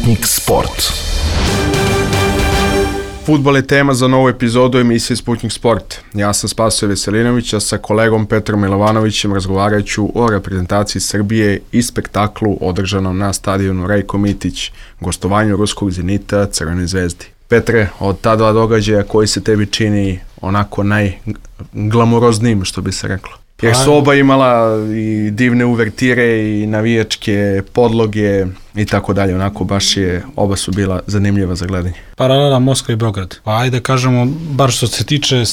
Sputnik Sport. Fudbal je tema za novu epizodu emisije Sputnik Sport. Ja sam Spasoje Veselinović, a sa kolegom Petrom Milovanovićem razgovarat ću o reprezentaciji Srbije i spektaklu održanom na stadionu Rajko Mitić, gostovanju ruskog Zenita Crvenoj zvezdi. Petre, od ta dva događaja koji se tebi čini onako najglamuroznijim, što bi se reklo? Jer su oba imala i divne uvertire i navijačke podloge i tako dalje, onako oba su bila zanimljiva za gledanje. Paralela Moskva i Beograd. Pa ajde kažemo, bar što se tiče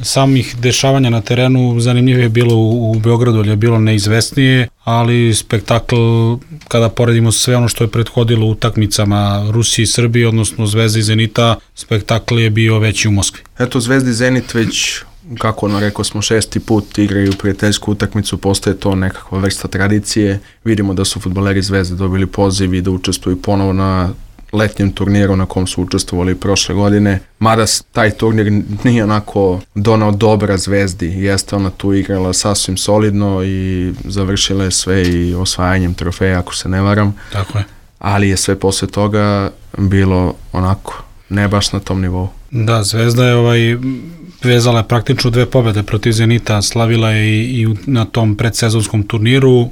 samih dešavanja na terenu, zanimljivije je bilo u Beogradu, jer je bilo neizvesnije, ali spektakl, kada poredimo sve ono što je prethodilo utakmicama Rusije i Srbije, odnosno Zvezde i Zenita, spektakl je bio veći u Moskvi. Eto, Zvezda i Zenit već, kako rekao smo, 6. put igraju prijateljsku utakmicu, postaje to nekakva vrsta tradicije. Vidimo da su fudbaleri Zvezde dobili poziv i da učestvuju ponovo na letnjem turniru na kom su učestvovali prošle godine. Mada taj turnir nije onako donao dobra Zvezdi. Jeste ona tu igrala sasvim solidno i završila je sve i osvajanjem trofeja, ako se ne varam. Tako je. Ali je sve posle toga bilo onako, ne baš na tom nivou. Da, Zvezda je vezala je praktično 2 pobjede protiv Zenita, slavila je i na tom predsezonskom turniru,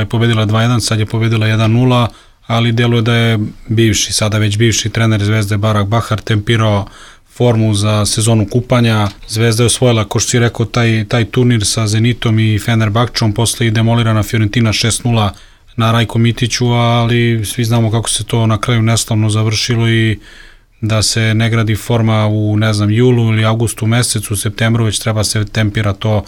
pobedila 2-1, sad je pobedila 1-0, ali djeluje da je sada već bivši trener Zvezde Barak Bahar tempirao formu za sezonu kupanja. Zvezda je osvojila, ko što si rekao, taj turnir sa Zenitom i Fenerbahčom, posle i demolirana Fiorentina 6-0 na Rajko Mitiću, ali svi znamo kako se to na kraju neslavno završilo i da se ne gradi forma u, julu ili avgustu mesecu, u septembru već treba se tempira to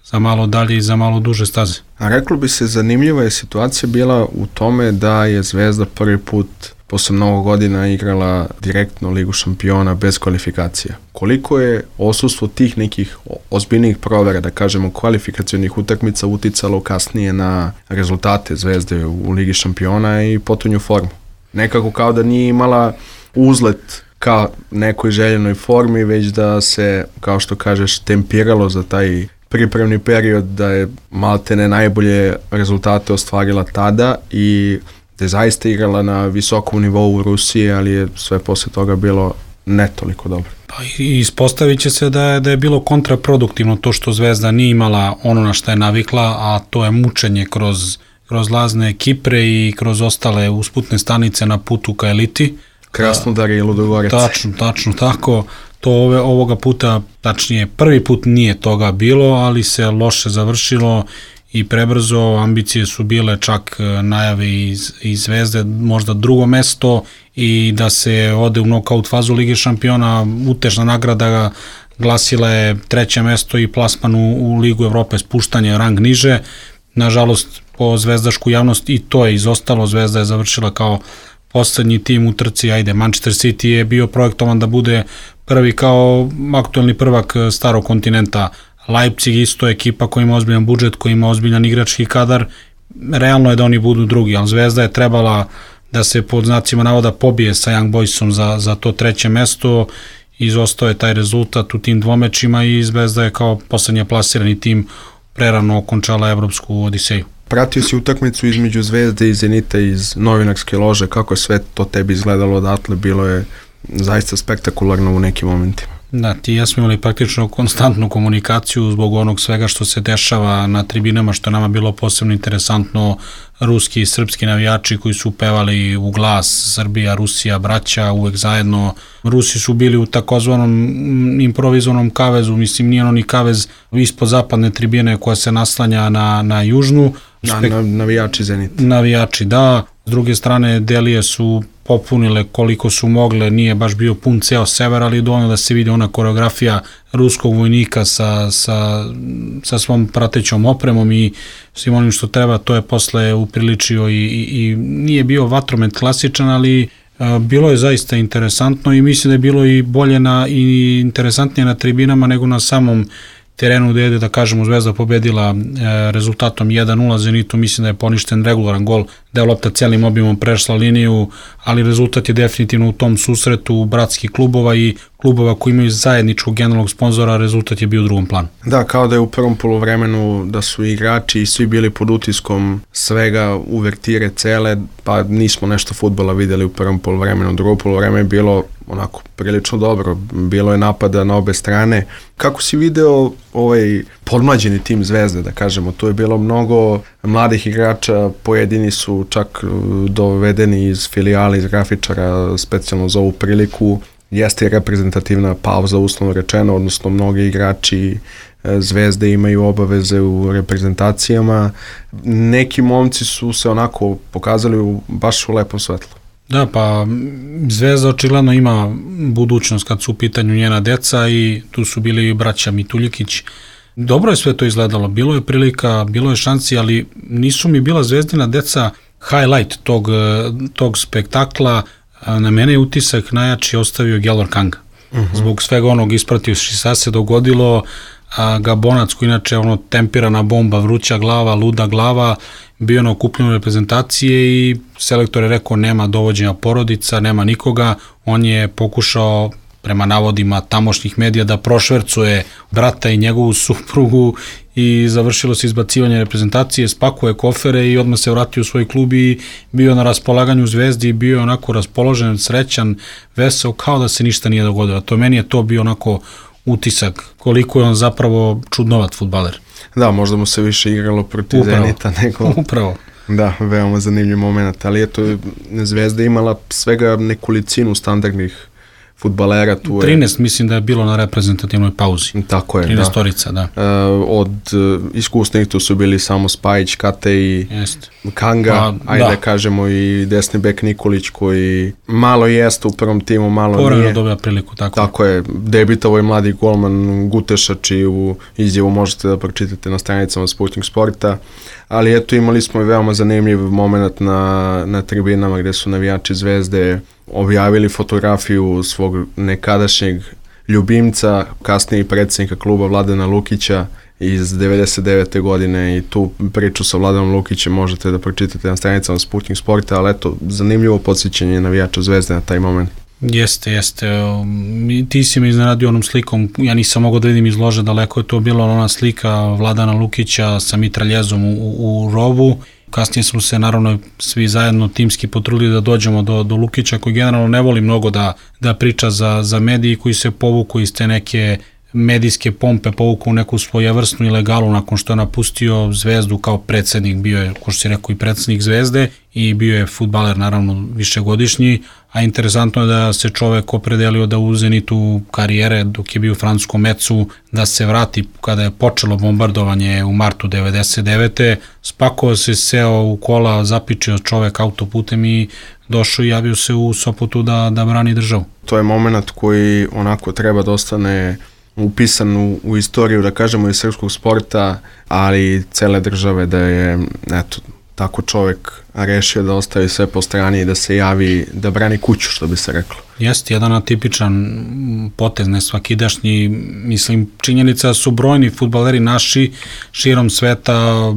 za malo dalje i za malo duže staze. A reklo bi se, zanimljiva je situacija bila u tome da je Zvezda prvi put posle mnogo godina igrala direktno Ligu šampiona bez kvalifikacija. Koliko je odsustvo tih nekih ozbiljnih provera, da kažemo kvalifikacionih utakmica, uticalo kasnije na rezultate Zvezde u Ligi šampiona i potonju formu? Nekako kao da nije imala uzlet ka nekoj željenoj formi, već da se, kao što kažeš, tempiralo za taj pripremni period, da je maltene najbolje rezultate ostvarila tada i da je zaista igrala na visokom nivou u Rusiji, ali je sve posle toga bilo ne toliko dobro. Pa ispostavit će se da je bilo kontraproduktivno to što Zvezda nije imala ono na što je navikla, a to je mučenje kroz lazne Kipre i kroz ostale usputne stanice na putu ka eliti. Krasnodar i Ludogorec. Tačno tako. To ovoga puta, tačnije prvi put nije toga bilo, ali se loše završilo i prebrzo. Ambicije su bile čak najave iz Zvezde, možda drugo mesto i da se ode u nokaut fazu Lige šampiona. Utešna nagrada glasila je 3. mesto i plasman u Ligu Evrope, spuštanje rang niže. Nažalost, po zvezdašku javnost i to je izostalo. Zvezda je završila kao poslednji tim u trci. Manchester City je bio projektovan da bude prvi kao aktuelni prvak starog kontinenta. Leipzig isto ekipa koja ima ozbiljan budžet, koja ima ozbiljan igrački kadar. Realno je da oni budu drugi, ali Zvezda je trebala da se pod znacima navoda pobije sa Young Boysom za to 3. mesto. Izostao je taj rezultat u tim dvomečima i Zvezda je kao poslednja plasirani tim prerano okončala evropsku odiseju. Pratio si utakmicu između Zvezde i Zenita iz novinarske lože, kako je sve to tebi izgledalo odatle, bilo je zaista spektakularno u nekim momentima. Da, ti i ja smo imali praktično konstantnu komunikaciju zbog onog svega što se dešava na tribinama, što je nama bilo posebno interesantno. Ruski i srpski navijači koji su pevali u glas Srbija, Rusija, braća, uvek zajedno. Rusi su bili u takozvanom improvizovanom kavezu, nije oni kavez ispod zapadne tribine koja se naslanja na južnu. Navijači Zenita. Navijači, da. S druge strane, delije su popunile koliko su mogle, nije baš bio pun ceo sever, ali dovoljno da se vidi ona koreografija ruskog vojnika sa svom pratećom opremom i svim onim što treba. To je posle upriličio i nije bio vatromet klasičan, ali bilo je zaista interesantno i mislim da je bilo i bolje i interesantnije na tribinama nego na samom terenu gde je, da kažemo, Zvezda pobedila rezultatom 1-0, Zenitu mislim da je poništen regularan gol, da je lopta celim objemom prešla liniju, ali rezultat je definitivno u tom susretu bratskih klubova i klubova koji imaju zajedničkog generalnog sponzora, rezultat je bio u drugom planu. Da, kao da je u prvom poluvremenu da su igrači i svi bili pod utiskom svega, uvertire cele, pa nismo nešto fudbala videli u prvom poluvremenu. Drugo poluvreme je bilo onako prilično dobro, bilo je napada na obe strane. Kako si video podmlađeni tim Zvezde, da kažemo, tu je bilo mnogo mladih igrača, pojedini su čak dovedeni iz filijala, iz grafičara, specijalno za ovu priliku. Jeste reprezentativna pauza, uslovno rečeno, odnosno mnogi igrači Zvezde imaju obaveze u reprezentacijama. Neki momci su se onako pokazali baš u lepom svetlu. Da, pa Zvezda očigledno ima budućnost kad su u pitanju njena deca i tu su bili braća Mituljikić. Dobro je sve to izgledalo, bilo je prilika, bilo je šansi, ali nisu mi bila Zvezdina deca highlight tog spektakla. Na mene je utisak najjači ostavio Gelor Kanga. Zbog svega onog ispratio šta se dogodilo, Gabonac koji inače tempirana bomba, vruća glava, luda glava, bio na okupljenju reprezentacije i selektor je rekao nema dovođenja porodica, nema nikoga, on je pokušao prema navodima tamošnjih medija da prošvercuje brata i njegovu suprugu i završilo se izbacivanje reprezentacije, spakuje kofere i odmah se vratio u svoj klub i bio na raspolaganju Zvezdi i bio onako raspoložen, srećan, veseo, kao da se ništa nije dogodilo. To meni je to bio onako utisak koliko je on zapravo čudnovat fudbaler. Da, možda mu se više igralo protiv Zenita nego... Upravo. Da, veoma zanimljiv moment, ali eto, Zvezda imala svega nekolicinu standardnih fudbalera. 13 mislim da je bilo na reprezentativnoj pauzi. Tako je, 13 torica, da. Od iskusnih tu su bili samo Spajić, Kate i Kanga, da kažemo i desni bek Nikolić koji malo jeste u prvom timu, malo povremeno nije. Dobija priliku, tako je. Debitavo je mladi golman Guteša, čiju izjavu možete da pročitate na stranicama Sputnik Sporta, ali eto imali smo i veoma zanimljiv moment na tribinama gde su navijači Zvezde objavili fotografiju svog nekadašnjeg ljubimca, kasnije predsjednika kluba Vladana Lukića iz 99. godine i tu priču sa Vladanom Lukićem možete da pročitate na stranicama Sputnik Sporta, ali eto, zanimljivo podsjećanje navijača Zvezde na taj moment. Jeste. Ti si me iznenadio onom slikom, ja nisam mogao da vidim iz lože, daleko je to bila ona slika Vladana Lukića sa mitraljezom u rovu. Kasnije smo se naravno svi zajedno timski potrudili da dođemo do Lukića koji generalno ne voli mnogo da priča za mediji koji se povuku iz te neke medijske pompe, povuku u neku svojevrsnu ilegalu nakon što je napustio Zvezdu kao predsednik, bio je, ko što si rekao, i predsednik Zvezde i bio je fudbaler naravno višegodišnji, a interesantno je da se čovek opredelio da u zenitu karijere dok je bio u francuskom Metsu da se vrati kada je počelo bombardovanje u martu 99. Spakovao se, seo u kola, zapičio čovek autoputem i došao i javio se u Sopotu da brani državu. To je moment koji onako treba da ostane upisan u istoriju, da kažemo, i srpskog sporta, ali i cele države, da je eto, tako čovek rešio da ostavi sve po strani i da se javi, da brani kuću, što bi se reklo. Jeste, jedan atipičan potez, ne svakidašnji, mislim, činjenica su brojni fudbaleri naši širom sveta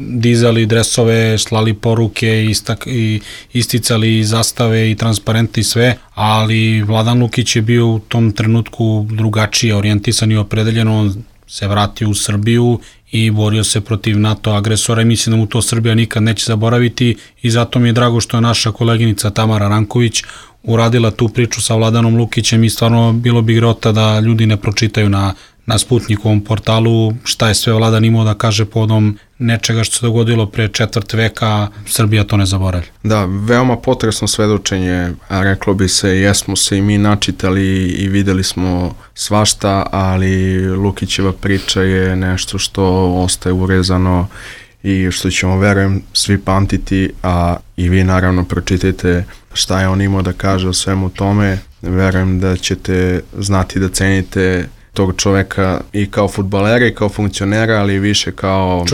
dizali dresove, slali poruke, isticali zastave i transparente i sve, ali Vladan Lukić je bio u tom trenutku drugačije orijentisan i opredeljen, on se vratio u Srbiju i borio se protiv NATO agresora i mislim da mu to Srbija nikad neće zaboraviti i zato mi je drago što je naša koleginica Tamara Ranković uradila tu priču sa Vladanom Lukićem i stvarno bilo bi grota da ljudi ne pročitaju na Sputnikovom portalu šta je sve Vladan imao da kaže povodom nečega što se dogodilo pre četvrt veka, Srbija to ne zaboravlja. Da, veoma potresno svedočenje, a reklo bi se, jesmo se i mi načitali i videli smo svašta, ali Lukićeva priča je nešto što ostaje urezano i što ćemo, verujem, svi pamtiti, a i vi naravno pročitajte šta je on imao da kaže o svemu tome. Verujem da ćete znati da cenite tog čoveka i kao fudbalera i kao funkcionera, ali više kao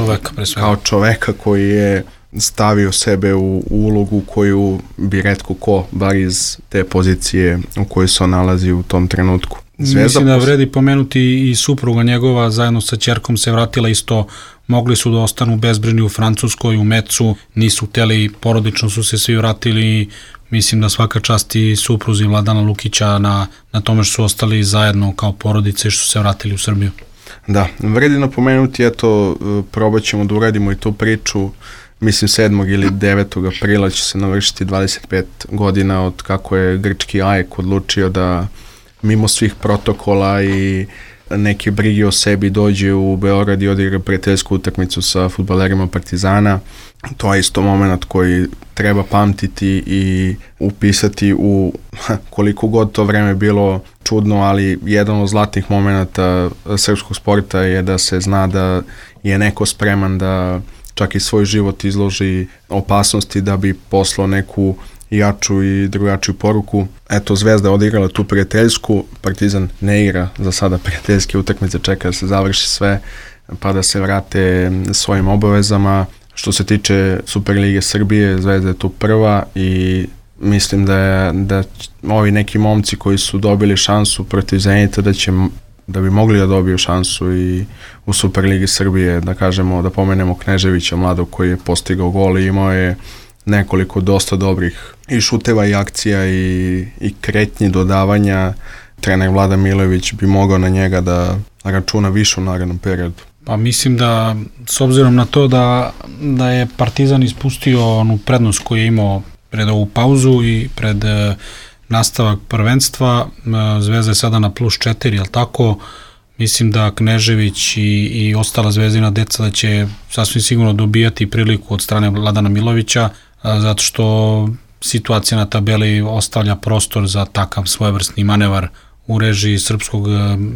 čoveka koji je stavio sebe u ulogu koju bi retko ko, bar iz te pozicije u kojoj se on nalazi u tom trenutku. Mislim da vredi pomenuti i supruga njegova zajedno sa ćerkom se vratila isto, mogli su da ostanu bezbrižni u Francuskoj, u Mecu, nisu hteli, porodično su se svi vratili. Mislim da svaka čast i supruzi Vladana Lukića na tome što su ostali zajedno kao porodice i što su se vratili u Srbiju. Da, vredi napomenuti, eto, probat ćemo da uradimo i tu priču. Mislim 7. ili 9. aprila će se navršiti 25 godina od kako je grčki AEK odlučio da mimo svih protokola i neke brige o sebi dođe u Beograd i odigra prijateljsku utakmicu sa fudbalerima Partizana. To je isto moment koji treba pamtiti i upisati u koliko god to vreme bilo čudno, ali jedan od zlatnih momenata srpskog sporta je da se zna da je neko spreman da čak i svoj život izloži opasnosti da bi poslao neku jaču i drugačiju poruku. Eto, Zvezda je odigrala tu prijateljsku, Partizan ne igra za sada prijateljske utakmice, čeka da se završi sve pa da se vrate svojim obavezama. Što se tiče Superlige Srbije, Zvezda je tu prva i mislim da ovi neki momci koji su dobili šansu protiv Zenita da bi mogli da dobiju šansu i u Superligi Srbije, da kažemo, da pomenemo Kneževića, mladog koji je postigao gol i imao je nekoliko dosta dobrih i šuteva i akcija i kretnji dodavanja. Trener Vlada Milojević bi mogao na njega da računa više u narednom periodu. Pa mislim da, s obzirom na to da je Partizan ispustio onu prednost koju je imao pred ovu pauzu i pred nastavak prvenstva, Zvezda je sada na +4, jel tako? Mislim da Knežević i ostala zvezdina deca da će sasvim sigurno dobijati priliku od strane Vladana Milovića, zato što situacija na tabeli ostavlja prostor za takav svojevrsni manevar u režiji srpskog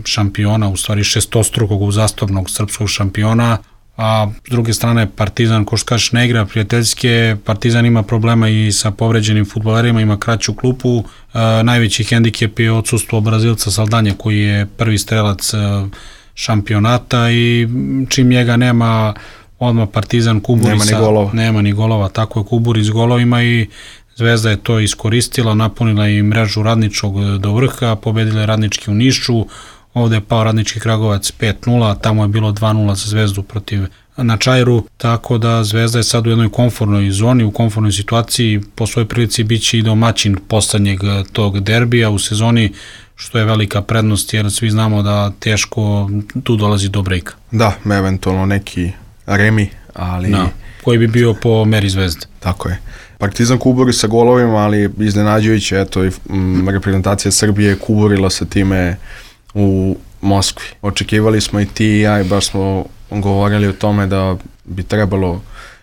šampiona, u stvari šestostrukog uzastopnog srpskog šampiona, a s druge strane Partizan, ko što kažeš, ne igra prijateljske, Partizan ima problema i sa povređenim fudbalerima, ima kraću klupu, najveći hendikep je odsustvo Brazilca Saldanje koji je prvi strelac šampionata i čim njega nema, odmah Partizan kuburi nema ni golova, tako je kuburi s golovima i Zvezda je to iskoristila, napunila i mrežu Radničkog do vrha, pobedila je Radnički u Nišu, ovde je pao Radnički Kragovac 5-0, tamo je bilo 2-0 za Zvezdu protiv na Čajru, tako da Zvezda je sad u jednoj komfornoj zoni, u komfornoj situaciji, po svojoj prilici bit će i domaćin poslednjeg tog derbija u sezoni, što je velika prednost jer svi znamo da teško tu dolazi do brejka. Da, eventualno neki remi, ali... Da, koji bi bio po meri Zvezde. Tako je. Partizan kuburi sa golovima, ali iznenađujuće, eto, i reprezentacija Srbije kuburila sa time u Moskvi. Očekivali smo i ti i ja i baš smo govorili o tome da bi trebalo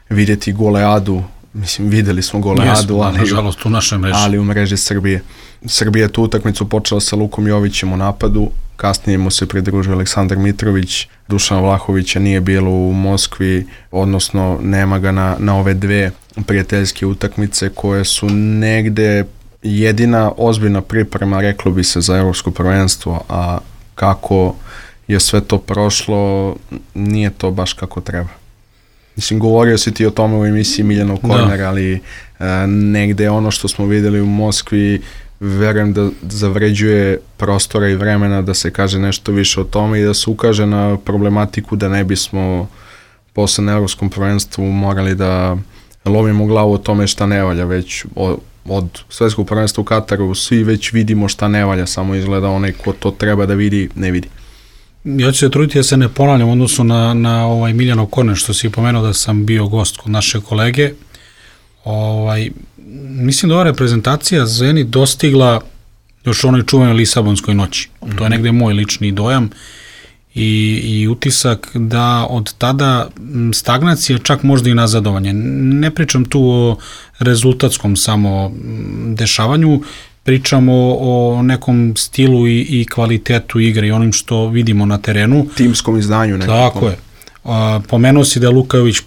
vidjeti goleadu, mislim videli smo goleadu, nažalost u našoj mreži. Ali u mreži Srbije. Srbija je tu utakmicu počela sa Lukom Jovićem u napadu, kasnije mu se pridružio Aleksandar Mitrović, Dušana Vlahovića nije bilo u Moskvi, odnosno nema ga na ove dve prijateljske utakmice koje su negde jedina ozbiljna priprema, reklo bi se, za evropsko prvenstvo, a kako je sve to prošlo, nije to baš kako treba. Mislim, govorio si ti o tome u emisiji Miljanov korner, ali negde ono što smo videli u Moskvi, verujem da zavređuje prostora i vremena da se kaže nešto više o tome i da se ukaže na problematiku da ne bismo posle na evropskom prvenstvu morali da lovimo glavu o tome šta ne valja, već od svetskog prvenstva u Kataru svi već vidimo šta ne valja, samo izgleda onaj ko to treba da vidi, ne vidi. Ja ću se truditi da se ne ponavljam u odnosu na ovaj Miljanov korner, što si pomenuo da sam bio gost kod naše kolege. Mislim da ova reprezentacija Zenit dostigla još onoj čuvenoj Lisabonskoj noći. To je negde moj lični dojam i utisak da od tada stagnacija, čak možda i nazadovanje. Ne pričam tu o rezultatskom samo dešavanju, pričamo o nekom stilu i kvalitetu igre i onim što vidimo na terenu. Timskom izdanju nekako. Tako je. Pomenuo si da je Luka Jović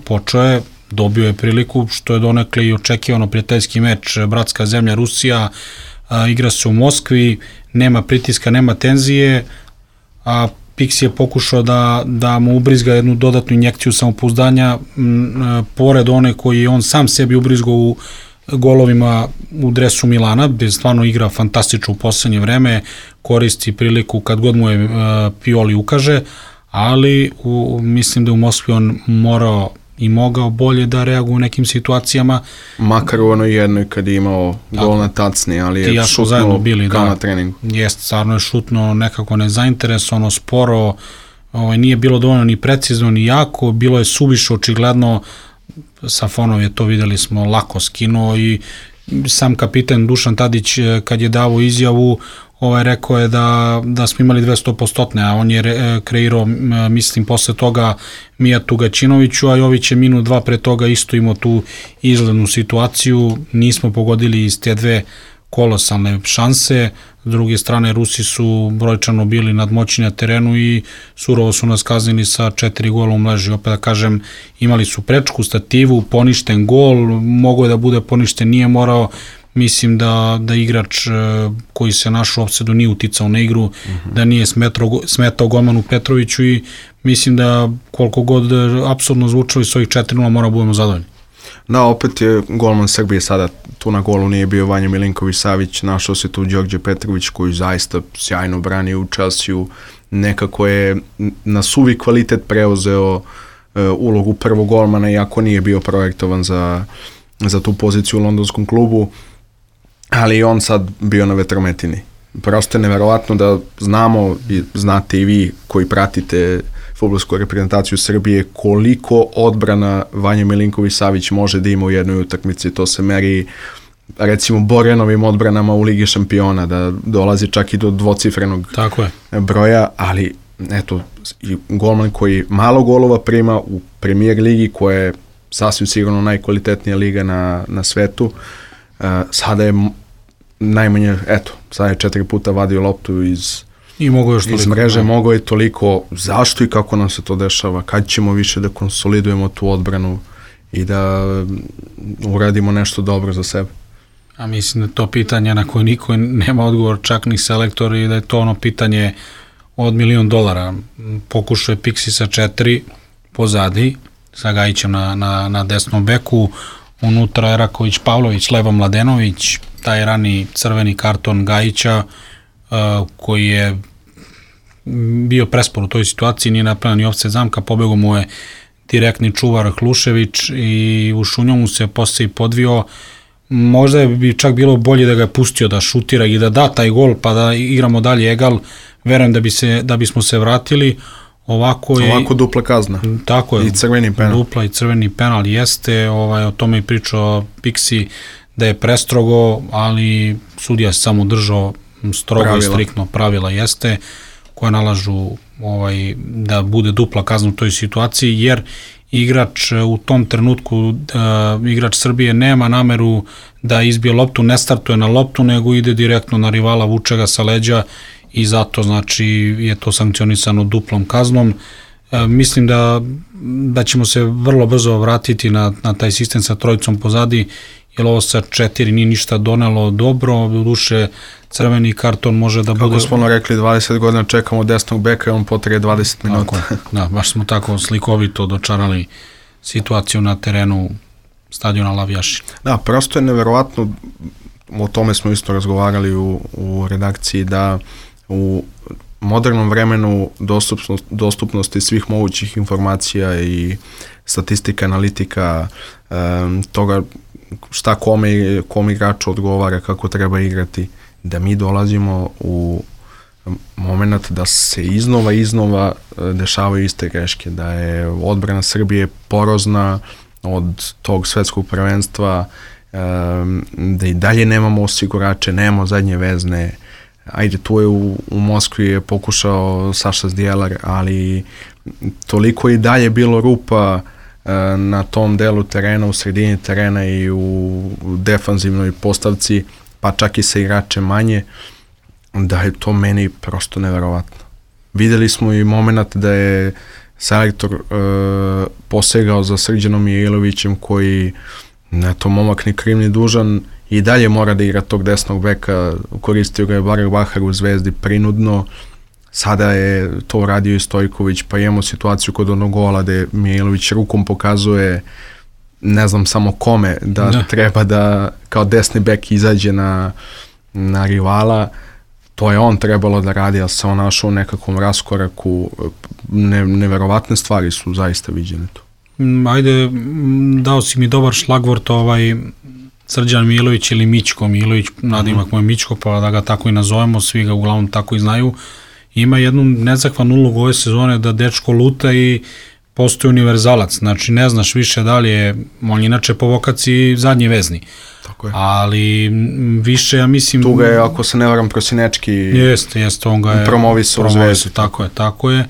počeo je, dobio je priliku, što je donekle i očekivano, prijateljski meč, bratska zemlja Rusija, igra se u Moskvi, nema pritiska, nema tenzije, a Pixi je pokušao da mu ubrizga jednu dodatnu injekciju samopouzdanja, pored one koji on sam sebi ubrizgao u golovima u dresu Milana, gde stvarno igra fantastično u poslednje vreme, koristi priliku kad god mu je Pioli ukaže, ali mislim da u Moskvi on morao i mogao bolje da reaguje u nekim situacijama. Makar u onoj jednoj kad je imao gol na tacni, ali je šutnuo kao na treningu. Jeste, stvarno je šutnuo nekako nezainteresovano, sporo, nije bilo dovoljno ni precizno ni jako, bilo je suviše očigledno, Safonov je to, videli smo, lako skinuo i sam kapitan Dušan Tadić kad je dao izjavu, rekao je da smo imali 200%, a on je kreirao, mislim, posle toga Mijatu Gaćinoviću, a Jović je minut 2 pre toga isto imao tu izglednu situaciju, nismo pogodili iz te dve kolosalne šanse, s druge strane Rusi su brojčano bili nadmoćni na terenu i surovo su nas kaznili sa 4 gola u mreži. Opet da kažem, imali su prečku, stativu, poništen gol, mogo je da bude poništen, nije morao. Mislim da igrač koji se našao u opsedu nije uticao na igru, da nije smetao golmanu Petroviću i mislim da koliko god apsolutno zvučali s ovih 4-0 mora budemo zadovoljni. Da, opet je golman Srbije sada, tu na golu nije bio Vanja Milinković-Savić, našao se tu Đorđe Petrović koji zaista sjajno brani u Chelsea-u, nekako je na suvi kvalitet preuzeo ulogu prvog golmana, iako nije bio projektovan za tu poziciju u londonskom klubu, ali i on sad bio na vetrometini. Prosto je neverovatno da znamo, i znate i vi koji pratite fudbalsku reprezentaciju Srbije, koliko odbrana Vanja Milinković-Savić može da ima u jednoj utakmici. To se meri recimo Borjanovim odbranama u Ligi šampiona, da dolazi čak i do dvocifrenog broja, ali eto, i golman koji malo golova prima u Premier ligi, koja je sasvim sigurno najkvalitetnija liga na svetu, sada je najmanje, eto, sada je 4 puta vadio loptu iz mreže, mogo je toliko. Zašto i kako nam se to dešava? Kad ćemo više da konsolidujemo tu odbranu i da uradimo nešto dobro za sebe? A mislim da to pitanje na koje niko nema odgovor, čak ni selektor, i da je to ono pitanje od $1 milion. Pokušao je Pixi sa 4 pozadi, sa Gajićem na desnom beku, unutra je Raković Pavlović, levo Mladenović, taj rani crveni karton Gajića, koji je bio prespor u toj situaciji, nije napravio ni ofset zamka, pobegao mu je direktni čuvar Hlušević i u šunjomu se posle i podvio. Možda bi čak bilo bolje da ga je pustio da šutira i da da taj gol pa da igramo dalje egal, verujem da bismo se vratili. Ovako dupla kazna. Tako je. I crveni penal. Dupla i crveni penal jeste, o tome je pričao Pixi da je prestrogo, ali sudija se samo držao strogo i striktno, pravila jeste, koje nalažu da bude dupla kazna u toj situaciji, jer igrač u tom trenutku, igrač Srbije nema nameru da izbije loptu, ne startuje na loptu, nego ide direktno na rivala, vuče ga sa leđa i zato znači je to sankcionisano duplom kaznom. Mislim da ćemo se vrlo brzo vratiti na taj sistem sa trojicom pozadi, jer ovo sa 4 nije ništa donelo dobro, u duše crveni karton može da bude... Kako smo rekli, 20 godina čekamo desnog beka i on potraje 20 minuta. Da, baš smo tako slikovito dočarali situaciju na terenu stadiona Lavijaši. Da, prosto je neverovatno, o tome smo isto razgovarali u redakciji, da u modernom vremenu dostupnosti svih mogućih informacija i statistika, analitika, toga šta kome igraču odgovara, kako treba igrati, da mi dolazimo u moment da se iznova dešavaju iste greške, da je odbrana Srbije porozna od tog svetskog prvenstva, da i dalje nemamo osigurače, nemamo zadnje vezne. Ajde, tu je u Moskvi je pokušao Saša Zdjelar, ali toliko i dalje bilo rupa na tom delu terena, u sredini terena i u defanzivnoj postavci, pa čak i sa igrače manje, da je to meni prosto neverovatno. Videli smo i moment da je selektor posegao za Srđanom Jelovićem, koji, eto, momak ni kriv ni dužan, i dalje mora da igra tog desnog beka, koristio ga je Barak Bahar u Zvezdi prinudno, sada je to radio i Stojković, pa imamo situaciju kod onog gola gde Mijailović rukom pokazuje ne znam samo kome, da treba da kao desni bek izađe na rivala, to je on trebalo da radi, ali se on našao u nekakvom raskoraku, neverovatne stvari su zaista viđene tu. Ajde, dao si mi dobar šlagvort, Srđan Milović ili Mićko Milović, nadimak moj Mićko, pa da ga tako i nazovemo, svi ga uglavnom tako i znaju, ima jednu nezahvalnu ulogu ove sezone da dečko luta i postoji univerzalac, znači ne znaš više da li je, on inače po vokaciji zadnji vezni. Tako je. Ali više, ja mislim... Tu ga je, ako se ne varam, Prosinečki Jeste, on ga je promovisao u Zvezdu. Tako je.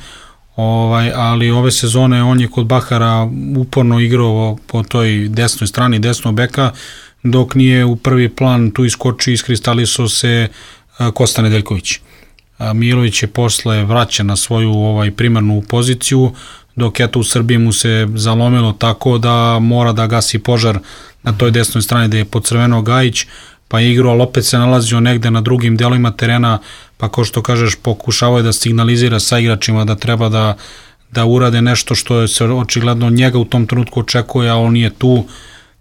Ali ove sezone on je kod Bahara uporno igrao po toj desnoj strani, desnog beka, dok nije u prvi plan tu iskoči, iskristalisao se Kosta Nedeljković. Milović je posle vraća na svoju primarnu poziciju, dok eto u Srbiji mu se zalomilo tako da mora da gasi požar na toj desnoj strani gde je podcrvenao Gajić, pa je igrao, ali opet se nalazio negde na drugim delovima terena, pa kao što kažeš, pokušavao je da signalizira sa igračima da treba da urade nešto što se očigledno njega u tom trenutku očekuje, a on nije tu,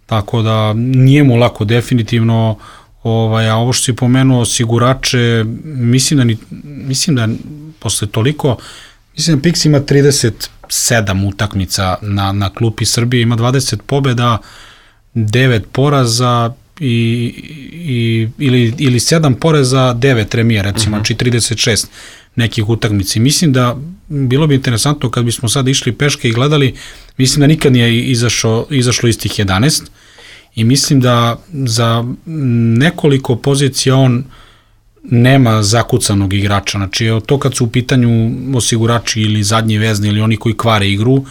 tako da nije mu lako definitivno. A ovo što si pomenuo, osigurače, mislim da posle toliko, mislim da Pix ima 37 utakmica na klupi Srbije, ima 20 pobjeda, 9 poraza ili 7 poraza, 9 remija, recimo, znači 36 nekih utakmici. Mislim da bilo bi interesantno kad bismo sad išli peške i gledali, mislim da nikad nije izašlo iz tih 11 i mislim da za nekoliko pozicija on nema zakucanog igrača. Znači, to kad su u pitanju osigurači ili zadnji vezni ili oni koji kvare igru,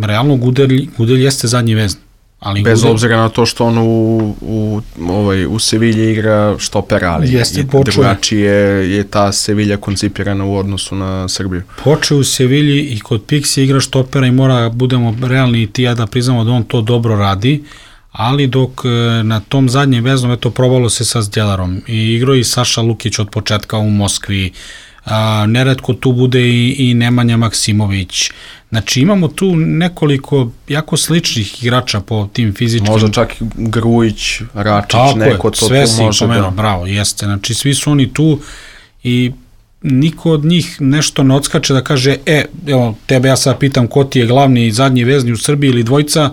realno Gudelj jeste zadnji vezni. Bez obzira na to što on u Sevilji igra štopera, ali drugačije je ta Sevilja koncipirana u odnosu na Srbiju. Počeo u Sevilji i kod Pixi igra štopera i mora, budemo realni i ti ja da priznamo da on to dobro radi, ali dok na tom zadnjem veznom, eto, probalo se sa Zdjelarom i igrao i Saša Lukić od početka u Moskvi, neretko tu bude i Nemanja Maksimović. Znači imamo tu nekoliko jako sličnih igrača po tim fizičkim... Možda čak i Grujić, Račić, neko to tu može da... Bravo, jeste. Znači svi su oni tu i niko od njih nešto ne odskače da kaže, evo, tebe ja sad pitam ko ti je glavni i zadnji vezni u Srbiji ili dvojica,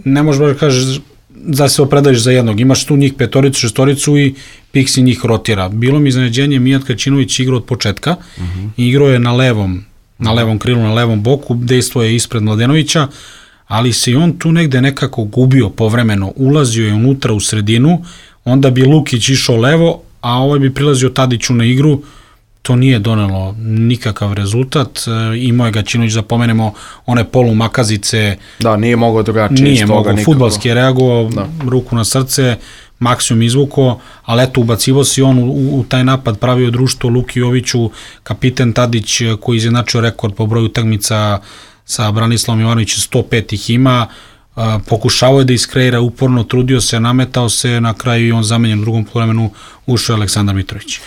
ne možeš da kažeš da se opredališ za jednog. Imaš tu njih petoricu, šestoricu i Pixi njih rotira. Bilo mi iznenađenje, Mijat Kaćinović igrao od početka i igrao je na levom krilu, na levom boku, dejstvo je ispred Mladenovića, ali se i on tu negde nekako gubio povremeno, ulazio je unutra u sredinu, onda bi Lukić išao levo, a ovaj bi prilazio Tadiću na igru, to nije donelo nikakav rezultat, imao je Gaćinović, da pomenemo, one polumakazice. Da, nije mogao drugačije. Nije mogao, fudbalski je reagovao, ruku na srce, maksimum izvuko, ali eto, ubacivo si on u taj napad, pravio društvo Luki Joviću, kapiten Tadić koji izjednačio rekord po broju utakmica sa Branislavom Jovanovićem, 105 ih ima, pokušavao je da iskreira uporno, trudio se, nametao se, na kraju i on zamenjen u drugom poluvremenu, ušao je Aleksandar Mitrović.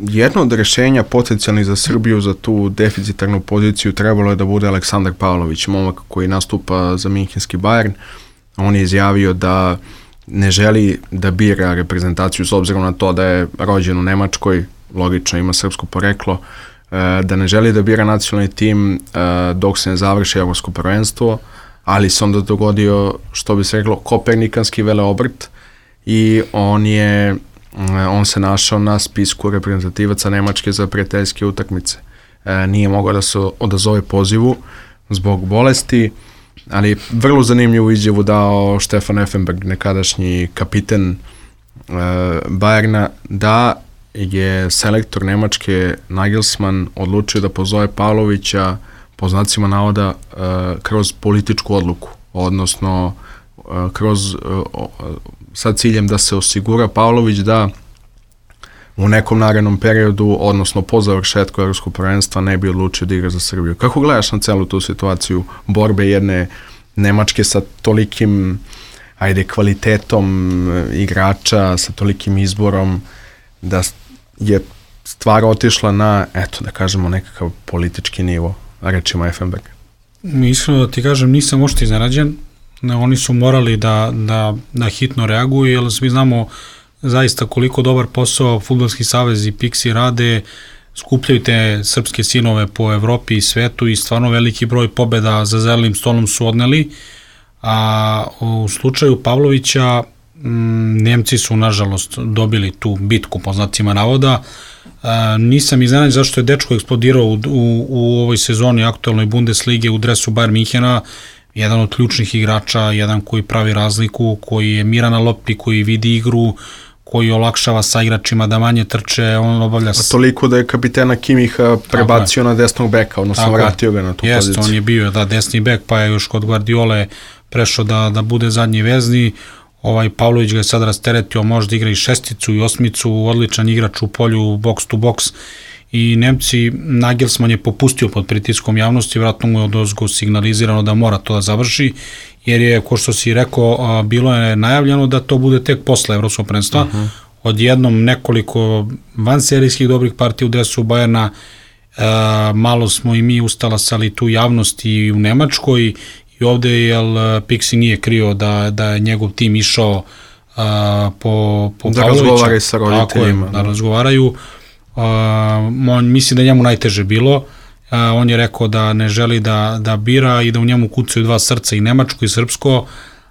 Jedno od rešenja potencijalnih za Srbiju za tu deficitarnu poziciju trebalo je da bude Aleksandar Pavlović, momak koji nastupa za Minhenski Bayern. On je izjavio da ne želi da bira reprezentaciju s obzirom na to da je rođen u Nemačkoj, logično ima srpsko poreklo, da ne želi da bira nacionalni tim dok se ne završi evropsko prvenstvo, ali se onda dogodio, što bi se reklo, kopernikanski veleobrt i on se našao na spisku reprezentativaca Nemačke za prijateljske utakmice. Nije mogao da se odazove pozivu zbog bolesti, ali vrlo zanimljivu izjavu dao Stefan Effenberg, nekadašnji kapiten Bayerna, da je selektor Nemačke Nagelsmann odlučio da pozove Pavlovića po znacima navoda kroz političku odluku, odnosno sa ciljem da se osigura Pavlović da u nekom narednom periodu, odnosno po završetku evropskog prvenstva, ne bi odlučio da igra za Srbiju. Kako gledaš na celu tu situaciju borbe jedne Nemačke sa tolikim kvalitetom igrača, sa tolikim izborom, da je stvar otišla na, eto da kažemo, nekakav politički nivo, rečima Effenberg? Iskreno da ti kažem, nisam ošte iznenađen. Oni su morali da hitno reaguju, jer svi znamo zaista koliko dobar posao Fudbalski savez i Pixi rade, skupljaju te srpske sinove po Evropi i svetu i stvarno veliki broj pobeda za zelenim stolom su odneli, a u slučaju Pavlovića Nemci su nažalost dobili tu bitku po znacima navoda. Nisam iznenađen zašto je dečko eksplodirao u ovoj sezoni aktualnoj Bundeslige u dresu Bayern Minhena, jedan od ključnih igrača, jedan koji pravi razliku, koji je miran na lopti, koji vidi igru, koji olakšava sa igračima da manje trče, on obavlja... A toliko da je kapitena Kimiha prebacio na desnog beka, odnosno vratio ga na tu poziciju. On je bio desni bek, pa je još kod Guardiole prešao da bude zadnji vezni. Pavlović ga je sad rasteretio, može da igra i šesticu i osmicu, odličan igrač u polju box to box, i Nemci, Nagelsmann je popustio pod pritiskom javnosti, vratno mu je odozgo signalizirano da mora to da završi, jer je, ko što si rekao, bilo je najavljeno da to bude tek posle Evropskog prvenstva. Odjednom nekoliko vanserijskih dobrih partija u dresu Bajerna, malo smo i mi ustalasali tu javnost i u Nemačkoj, i ovde jer Pixi nije krio da je njegov tim išao po da razgovaraju sa roditeljima. Da razgovaraju. Mislim da je njemu najteže bilo. On je rekao da ne želi da bira i da u njemu kucaju dva srca, i nemačko i srpsko,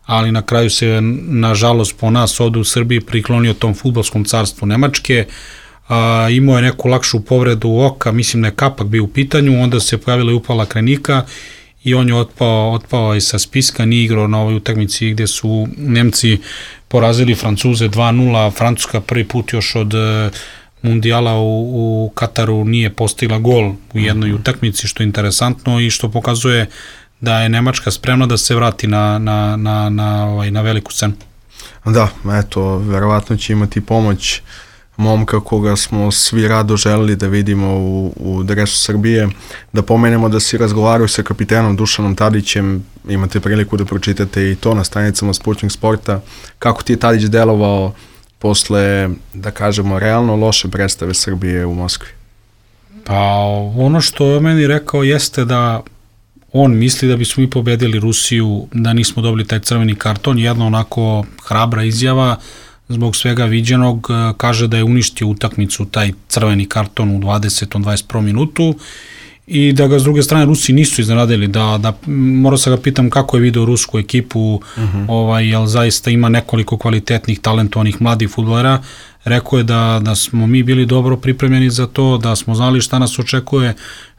ali na kraju se, nažalost po nas ovde u Srbiji, priklonio tom fudbalskom carstvu Nemačke. Imao je neku lakšu povredu oka, mislim da je kapak bio u pitanju, onda se pojavila i upala krenika i on je otpao i sa spiska, nije igrao na ovoj utakmici gde su Nemci porazili Francuze 2-0, Francuska prvi put još od Mundijala u Kataru nije postigla gol u jednoj utakmici, što je interesantno i što pokazuje da je Nemačka spremna da se vrati na veliku scenu. Da, eto, verovatno će imati pomoć momka koga smo svi rado želeli da vidimo u dresu Srbije. Da pomenemo da si razgovarao sa kapitenom Dušanom Tadićem, imate priliku da pročitate i to na stranicama Sputnik Sporta. Kako ti je Tadić delovao posle, da kažemo, realno loše predstave Srbije u Moskvi? Pa ono što je meni rekao jeste da on misli da bismo mi pobedili Rusiju, da nismo dobili taj crveni karton, jedna onako hrabra izjava zbog svega viđenog, kaže da je uništio utakmicu taj crveni karton u 20. 21. minutu i da ga s druge strane Rusi nisu iznenadili, morao sam ga pitam kako je video rusku ekipu, jel zaista ima nekoliko kvalitetnih, talentovanih mladih fudbalera. Rekao je da smo mi bili dobro pripremljeni za to, da smo znali šta nas očekuje,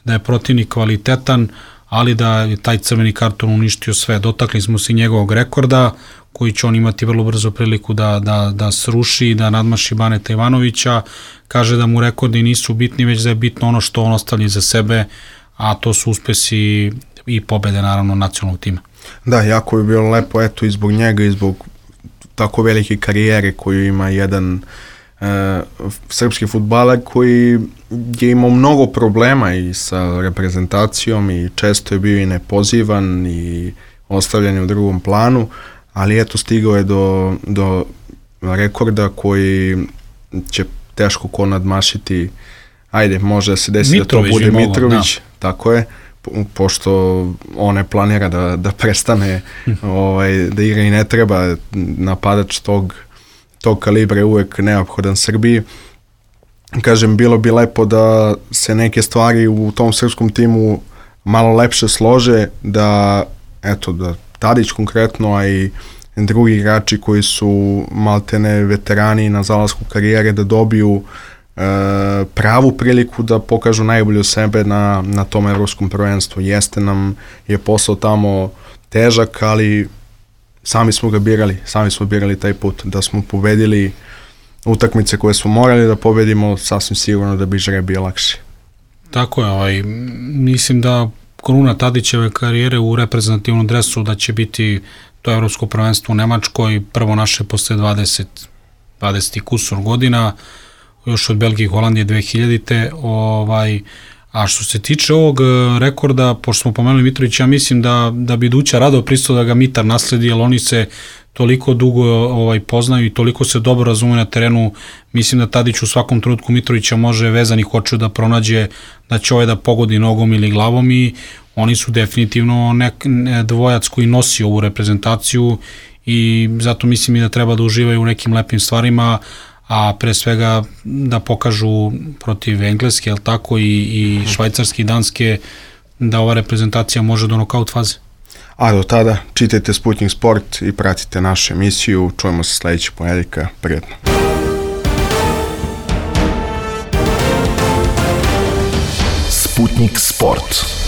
da je protivnik kvalitetan, ali da je taj crveni karton uništio sve. Dotakli smo se njegovog rekorda, koji će on imati vrlo brzo priliku da sruši, da nadmaši Baneta Ivanovića. Kaže da mu rekordi nisu bitni, već da je bitno ono što on ostavlja za sebe, a to su uspesi i pobede, naravno, nacionalnog tima. Da, jako bi bilo lepo, eto, i zbog njega i zbog tako velike karijere koju ima jedan srpski fudbaler koji je imao mnogo problema i sa reprezentacijom i često je bio i nepozivan i ostavljan u drugom planu, ali eto, stigao je do rekorda koji će teško ko nadmašiti. Ajde, može da se desi da to bude Mitrović, tako je, pošto on ne planira da prestane da igra i ne treba. Napadač tog kalibra je uvek neophodan Srbiji. Kažem, bilo bi lepo da se neke stvari u tom srpskom timu malo lepše slože, da Tadić konkretno, a i drugi igrači koji su maltene veterani na zalasku karijere, da dobiju pravu priliku da pokažu najbolje sebe na tom evropskom prvenstvu. Jeste nam je posao tamo težak, ali sami smo birali taj put. Da smo pobedili utakmice koje smo morali da pobedimo, sasvim sigurno da bi žreb bio lakši. Tako je, mislim da kruna Tadićeve karijere u reprezentativnom dresu da će biti to evropsko prvenstvo u Nemačkoj, prvo naše posle 20 kusur godina, još od Belgije i Holandije 2000-te, A što se tiče ovog rekorda, pošto smo pomenuli Mitrovića, ja mislim da bi Duća rado pristao da ga Mitar nasledi, jer oni se toliko dugo poznaju i toliko se dobro razume na terenu. Mislim da Tadić u svakom trenutku Mitrovića može vezanih očiju da pronađe da će da pogodi nogom ili glavom, i oni su definitivno dvojac koji nosi ovu reprezentaciju, i zato mislim i da treba da uživaju u nekim lepim stvarima, a pre svega da pokažu protiv Engleske, tako, i Švajcarske i Danske, da ova reprezentacija može do nokaut faze. A do tada čitajte Sputnik Sport i pratite našu emisiju. Čujemo se sledećeg ponedjeljka. Prijetno. Sputnik Sport.